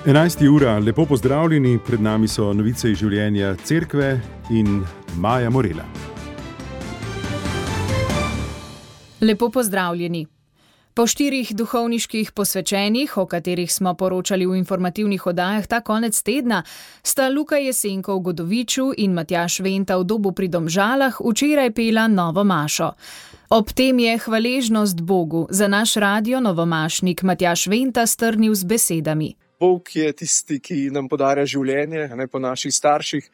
11. ura, lepo pozdravljeni, pred nami so novice iz življenja Cerkve in Maja Morela. Lepo pozdravljeni. Po 4 duhovniških posvečenjih, o katerih smo poročali v informativnih oddajah ta konec tedna, sta Luka Jesenko v Godoviču in Matjaž Venta v Dobu pri Domžalah včeraj pela novo mašo. Ob tem je hvaležnost Bogu za naš radio novomašnik Matjaž Venta strnil z besedami. Bog je tisti, ki nam podarja življenje, ne po naših starših,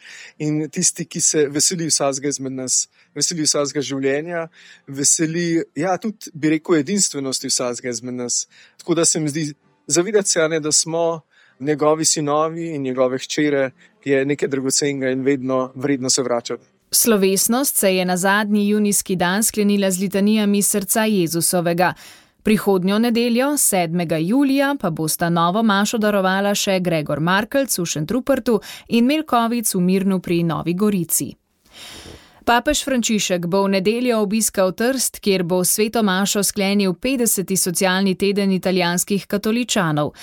in tisti, ki se veseli vsakega izmed nas, veseli vsakega življenja, veseli, tudi bi rekel, edinstvenosti vsakega izmed nas. Tako da se mi zdi zavedati se, da smo njegovi sinovi in njegove hčere, je nekaj dragocenega in vedno vredno se vračati. Slovesnost se je na zadnji junijski dan sklenila z litanijami srca Jezusovega. Prihodnjo nedeljo, 7. julija, pa bosta novo mašo darovala še Gregor Markelc v Šentrupertu in Milkovic v Mirnu pri Novi Gorici. Papež Frančišek bo v nedeljo obiskal Trst, kjer bo sveto mašo sklenil 50. socialni teden italijanskih katoličanov.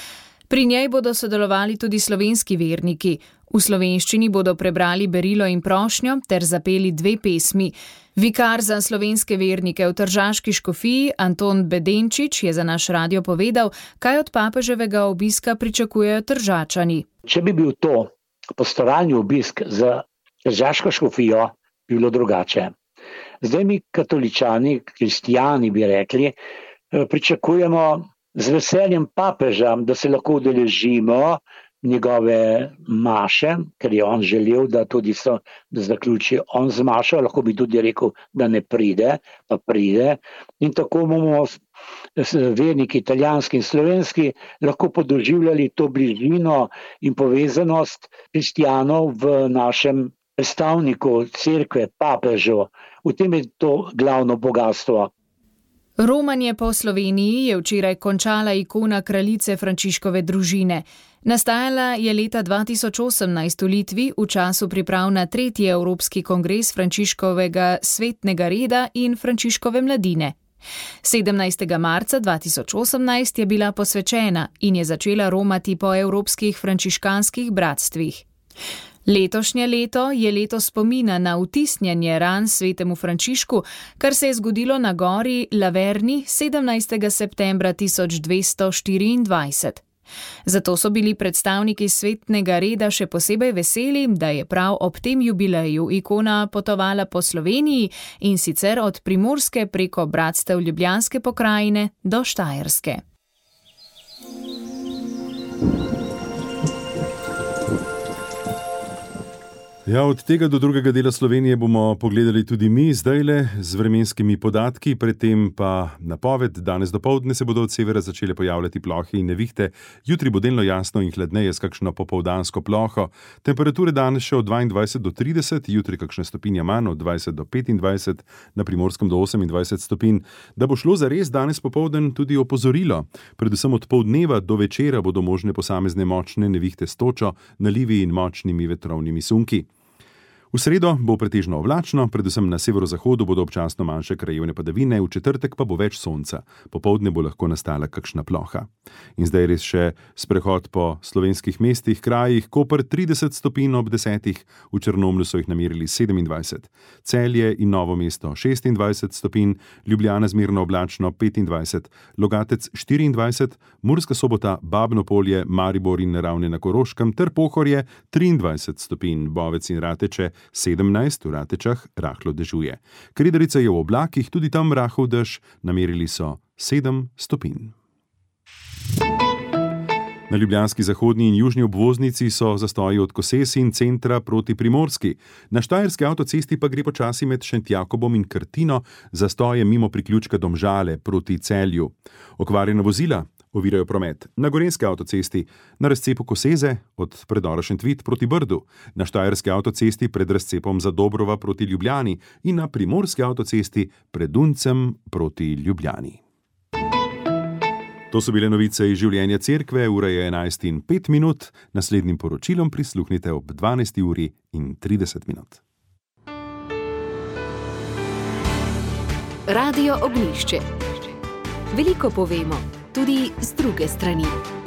Pri njej bodo sodelovali tudi slovenski verniki. V slovenščini bodo prebrali berilo in prošnjo ter zapeli 2 pesmi. Vikar za slovenske vernike v tržaški škofiji Anton Bedenčič je za naš radio povedal, kaj od papeževega obiska pričakujejo Tržačani. Če bi bil to pastoralni obisk za tržaško škofijo, bi bilo drugače. Zdaj mi katoličani, kristijani bi rekli, pričakujemo z veseljem papeža, da se lahko udeležimo njegove maše, ker je on želel, da tudi da zaključi on z mašo, lahko bi tudi rekel, da ne pride, pa pride. In tako bomo verniki italijanski in slovenski lahko podoživljali to bližino in povezanost kristijanov v našem predstavniku cerkve, papežu. V tem je to glavno bogatstvo. Romanje po Sloveniji je včeraj končala ikona kraljice Frančiškove družine. Nastajala je leta 2018 v Litvi v času priprav na 3. Evropski kongres Frančiškovega svetnega reda in Frančiškove mladine. 17. marca 2018 je bila posvečena in je začela romati po evropskih frančiškanskih bratstvih. Letošnje leto je leto spomina na vtisnjanje ran svetemu Frančišku, kar se je zgodilo na gori Laverni 17. septembra 1224. Zato so bili predstavniki svetnega reda še posebej veseli, da je prav ob tem jubileju ikona potovala po Sloveniji in sicer od Primorske preko bratstev Ljubljanske pokrajine do Štajerske. Od tega do drugega dela Slovenije bomo pogledali tudi mi zdajle z vremenskimi podatki, predtem pa napoved. Danes dopoldne se bodo od severa začele pojavljati plohe in nevihte, jutri bo delno jasno in hladneje s kakšno popoldansko ploho. Temperature danes še od 22 do 30, jutri kakšna stopinja manj od 20 do 25, na Primorskem do 28 stopinj. Da bo šlo zares danes popoldan tudi opozorilo. Predvsem od poldneva do večera bodo možne posamezne močne nevihte s točo, nalivi in močnimi vetrovnimi sunki. V sredo bo pretežno oblačno, predvsem na severozahodu bodo občasno manjše krajevne padavine, v četrtek pa bo več sonca. Popoldne bo lahko nastala kakšna ploha. In zdaj res še sprehod po slovenskih mestih, krajih. Koper 30 stopinj ob 10, v Črnomlju so jih namerili 27. Celje in Novo mesto 26 stopinj, Ljubljana zmerno oblačno 25, Logatec 24, Murska Sobota, Babno Polje, Maribor in Ravne na Koroškem ter Pohorje 23 stopinj, Bovec in Rateče 17, v Ratečah rahlo dežuje. Kredarica je v oblakih, tudi tam rahel dež, namerili so 7 stopinj. Na ljubljanski zahodni in južni obvoznici so zastoji od Koses in centra proti Primorski. Na štajerski avtocesti pa gre počasi med Šentjakobom in Krtino, zastoje mimo priključka Domžale proti Celju. Okvarjena vozila ovirajo promet na gorenjski avtocesti, na razcepu Koseze od predora Šentvit proti Brdu, na štajerski avtocesti pred razcepom Zadobrova proti Ljubljani in na primorski avtocesti pred Duncem proti Ljubljani. To so bile novice iz življenja Cerkve, ura je 11:05, naslednjim poročilom prisluhnite ob 12:30. Radio Ognjišče. Veliko povemo, tudi z druge strani.